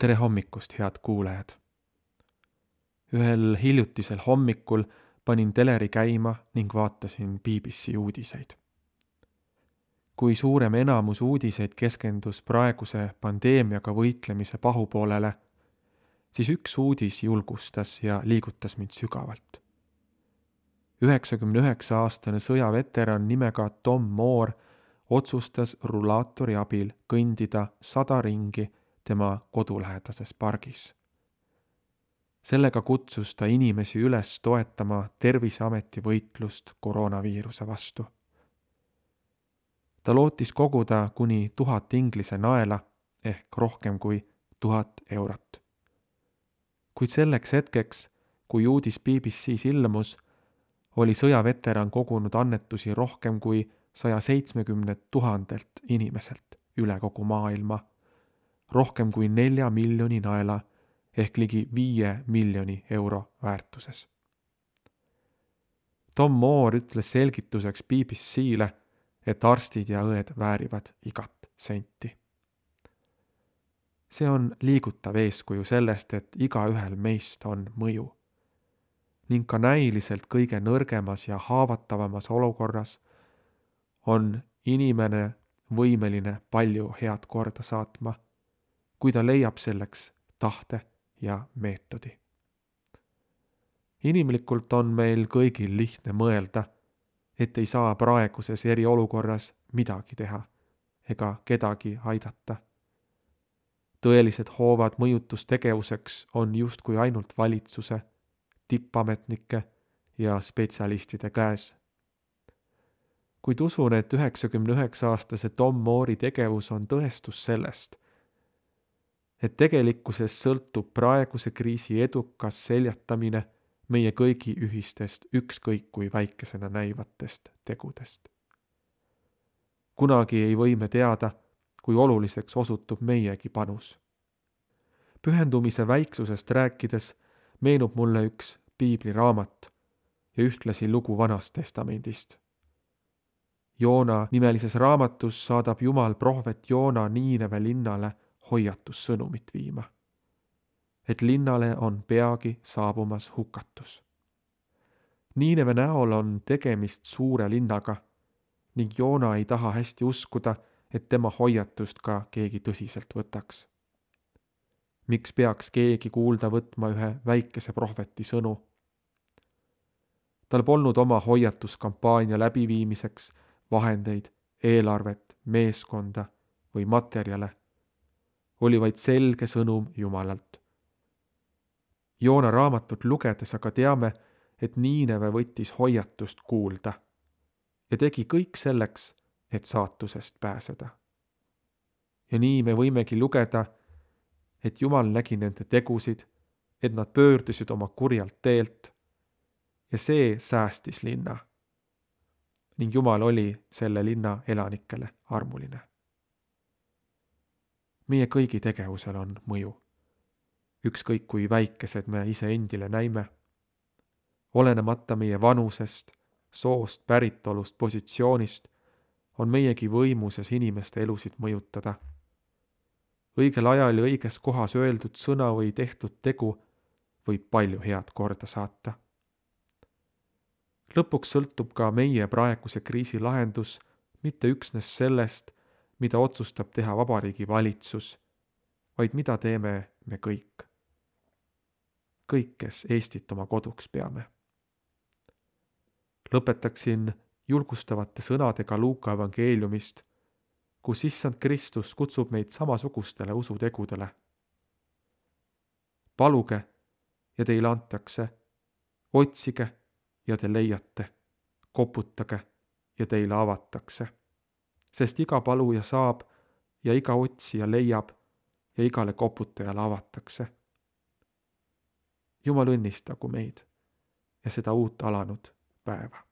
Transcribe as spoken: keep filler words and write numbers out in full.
Tere hommikust, head kuulajad! Ühel hiljutisel hommikul panin teleri käima ning vaatasin B B C uudiseid. Kui suurem enamus uudiseid keskendus praeguse pandeemiaga võitlemise pahupoolele, siis üks uudis julgustas ja liigutas mind sügavalt. üheksakümne üheksa aastane sõjaveteran nimega Tom Moore otsustas rullaatori abil kõndida sada ringi tema kodulähedases pargis. Sellega kutsus ta inimesi üles toetama Terviseameti võitlust koroonaviiruse vastu. Ta lootis koguda kuni tuhat inglise naela ehk rohkem kui tuhat eurot. Kuid selleks hetkeks, kui uudis B B C's ilmus, oli sõjaveteran kogunud annetusi rohkem kui saja seitsmekümne tuhandelt inimeselt üle kogu maailma, rohkem kui nelja miljoni naela ehk ligi viie miljoni euro väärtuses. Tom Moore ütles selgituseks B B C'le, et arstid ja õed väärivad igat senti. See on liigutav eeskuju sellest, et igaühel meist on mõju. Ning ka näiliselt kõige nõrgemas ja haavatavamas olukorras on inimene võimeline palju head korda saatma, kui ta leiab selleks tahte ja meetodi. Inimlikult on meil kõigil lihtne mõelda, et ei saa praeguses eriolukorras midagi teha ega kedagi aidata. Tõelised hoovad mõjutustegevuseks on justkui ainult valitsuse, tippametnike ja spetsialistide käes. Kuid usun, et üheksakümne üheksa aastase Tom Moore'i tegevus on tõestus sellest, et tegelikkuses sõltub praeguse kriisi edukas seljatamine meie kõigi ühistest ükskõik kui väikesena näivatest tegudest. Kunagi ei või me teada, kui oluliseks osutub meiegi panus. Pühendumise väiksusest rääkides meenub mulle üks piibliraamat ja ühtlasi lugu Vanast Testamendist. Joona nimelises raamatus saadab Jumal prohvet Joona Niineve linnale hoiatussõnumit viima, et linnale on peagi saabumas hukatus. Niineve näol on tegemist suure linnaga ning Joona ei taha hästi uskuda, et tema hoiatust ka keegi tõsiselt võtaks. Miks peaks keegi kuulda võtma ühe väikese prohveti sõnu? Tal polnud oma hoiatuskampaania läbiviimiseks vahendeid, eelarvet, meeskonda või materjale. Oli vaid selge sõnum Jumalalt. Joona raamatut lugedes aga teame, et Niineve võttis hoiatust kuulda ja tegi kõik selleks, et saatusest pääseda. Ja nii me võimegi lugeda, et Jumal nägi nende tegusid, et nad pöördusid oma kurjalt teelt ja see säästis linna. Ning Jumal oli selle linna elanikele armuline. Meie kõigi tegevusel on mõju. Ükskõik kui väikesed me ise endile näime. Olenemata meie vanusest, soost, päritolust, positsioonist, on meiegi võimuses inimeste elusid mõjutada. Õigel ajal ja õiges kohas öeldud sõna või tehtud tegu võib palju head korda saata. Lõpuks sõltub ka meie praeguse kriisi lahendus mitte üksnes sellest, mida otsustab teha Vabariigi valitsus, vaid mida teeme me kõik. Kõik, kes Eestit oma koduks peame. Lõpetaksin julgustavate sõnadega Luuka evangeeliumist, kus Issand Kristus kutsub meid samasugustele usutegudele. Paluge ja teile antakse, otsige ja te leiate, koputage ja teile avatakse. Sest iga paluja saab ja iga otsija leiab ja igale koputajale avatakse. Jumal õnnistagu meid ja seda uut alanud päeva.